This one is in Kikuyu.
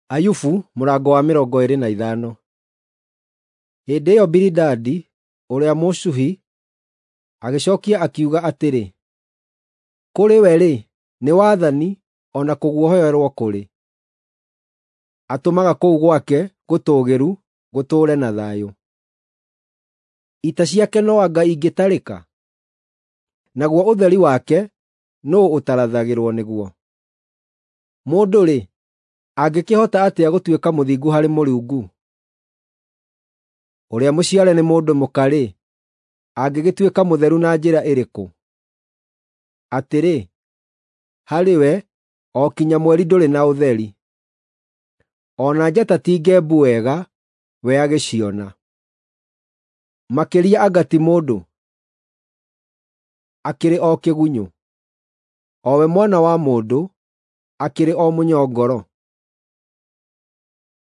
Ayubu mũrango wa 25. Hĩndĩ ĩyo Bilidadi ũrĩa Mũshuhi agĩcookia akiuga atĩrĩ: “Kũrĩ we-rĩ, nĩ wathani, o na kũguoyoherwo kũrĩ; atũmaga kũu gwake gũtũũgĩru gũtũũre na thayũ. Ita ciake no anga ingĩtarĩka? Naguo ũtheri wake nũũ ũtarathagĩrwo nĩguo? Mũndũ-rĩ, angĩkĩhota atĩa gũtuĩka mũthingu harĩ Mũrungu? Ũrĩa mũciare nĩ mũndũ mũka-rĩ, angĩgĩtuĩka mũtheru na njĩra ĩrĩkũ? Atĩrĩ, harĩ we, o kinya mweri ndũrĩ na ũtheri; o na njata ti ngembu wega we agĩciona. Makĩria anga ti mũndũ, akĩrĩ o kĩgunyũ, o we mwana wa mũndũ, akĩrĩ o mũnyongoro!